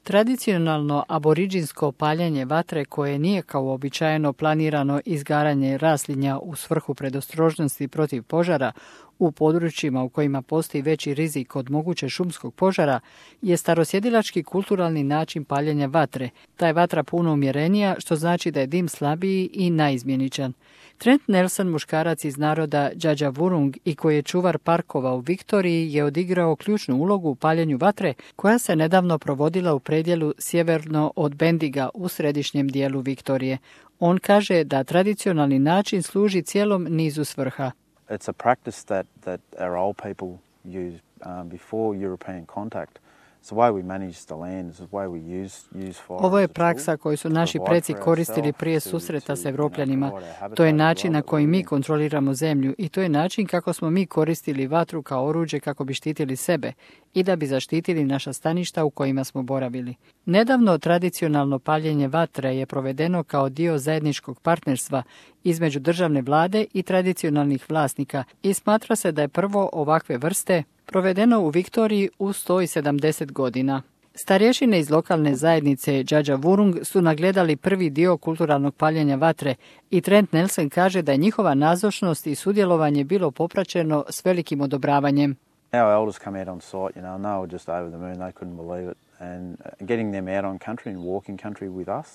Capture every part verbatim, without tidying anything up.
Tradicionalno aboriđinsko paljenje vatre koje nije kao uobičajeno planirano izgaranje raslinja u svrhu predostrožnosti protiv požara u područjima u kojima postoji veći rizik od moguće šumskog požara je starosjedilački kulturalni način paljenja vatre. Ta je vatra puno umjerenija, što znači da je dim slabiji i naizmjeničan. Trent Nelson, muškarac iz naroda Djadjavurrung i koji je čuvar parkova u Viktoriji, je odigrao ključnu ulogu u paljenju vatre koja se nedavno provodila u predjelu sjeverno od Bendiga u središnjem dijelu Viktorije. On kaže da tradicionalni način služi cijelom nizu svrha. It's a practice that, that our old people used um, before European contact. Ovo je praksa koju su naši preci koristili prije susreta s Evropljanima. To je način na koji mi kontroliramo zemlju i to je način kako smo mi koristili vatru kao oruđe kako bi štitili sebe i da bi zaštitili naša staništa u kojima smo boravili. Nedavno tradicionalno paljenje vatre je provedeno kao dio zajedničkog partnerstva između državne vlade i tradicionalnih vlasnika i smatra se da je prvo ovakve vrste provedeno u Viktoriji u sto sedamdeset godina. Starješine iz lokalne zajednice Djadjavurrung su nagledali prvi dio kulturalnog paljenja vatre i Trent Nelson kaže da je njihova nazočnost i sudjelovanje bilo popraćeno s velikim odobravanjem. Our elders come out on site, you know, and they were just over the moon, they couldn't believe it. And getting them out on country and walking country with us.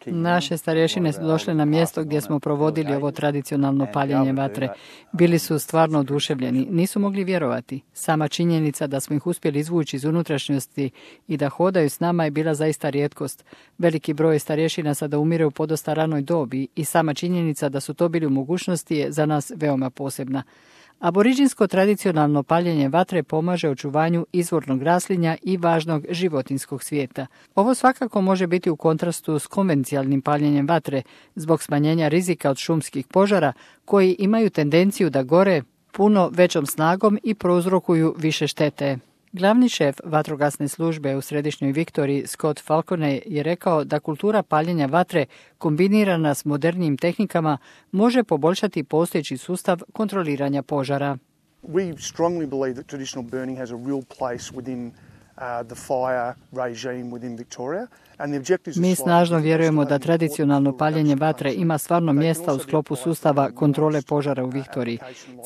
Naše starješine su došle na mjesto gdje smo provodili ovo tradicionalno paljenje vatre. Bili su stvarno oduševljeni, nisu mogli vjerovati. Sama činjenica da smo ih uspjeli izvući iz unutrašnjosti i da hodaju s nama je bila zaista rijetkost. Veliki broj starješina sada umire u podosta ranoj dobi i sama činjenica da su to bili u mogućnosti je za nas veoma posebna. Aboriđinsko tradicionalno paljenje vatre pomaže očuvanju izvornog raslinja i važnog životinjskog svijeta. Ovo svakako može biti u kontrastu s konvencijalnim paljenjem vatre zbog smanjenja rizika od šumskih požara koji imaju tendenciju da gore puno većom snagom i prouzrokuju više štete. Glavni šef vatrogasne službe u središnjoj Viktoriji, Scott Falcone, je rekao da kultura paljenja vatre kombinirana s modernijim tehnikama može poboljšati postojeći sustav kontroliranja požara. We strongly believe that traditional burning has a real place within uh, the fire regime within Victoria. Mi snažno vjerujemo da tradicionalno paljenje vatre ima stvarno mjesta u sklopu sustava kontrole požara u Viktoriji.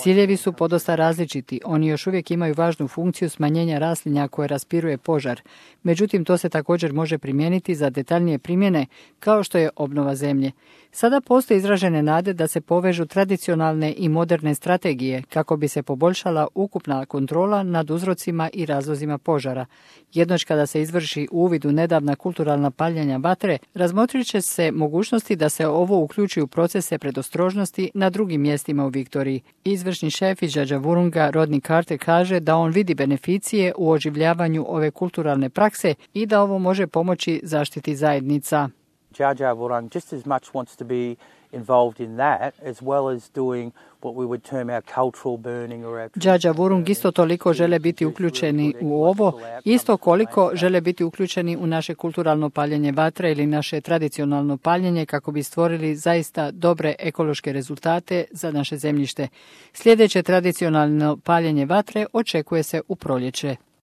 Ciljevi su podosta različiti, oni još uvijek imaju važnu funkciju smanjenja raslinja koje raspiruje požar. Međutim, to se također može primijeniti za detaljnije primjene, kao što je obnova zemlje. Sada postoje izražene nade da se povežu tradicionalne i moderne strategije kako bi se poboljšala ukupna kontrola nad uzrocima i razlozima požara. Jednoć kada se izvrši uvid u nedavna kulturalna paljenja vatre, razmotrit će se mogućnosti da se ovo uključi u procese predostrožnosti na drugim mjestima u Viktoriji. Izvršni šef iz Djadjavurrunga Rodney Carter kaže da on vidi beneficije u oživljavanju ove kulturalne prakse i da ovo može pomoći zaštiti zajednica. Djadjavurrung just as much wants to be involved in that as well as doing what we would term our cultural burning or our Djadjavurrung isto toliko žele biti uključeni u ovo, isto koliko žele biti uključeni u naše kulturalno paljenje vatre ili naše tradicionalno paljenje kako bi stvorili zaista dobre ekološke rezultate za naše zemljište. Sljedeće tradicionalno paljenje vatre očekuje se u proljeće.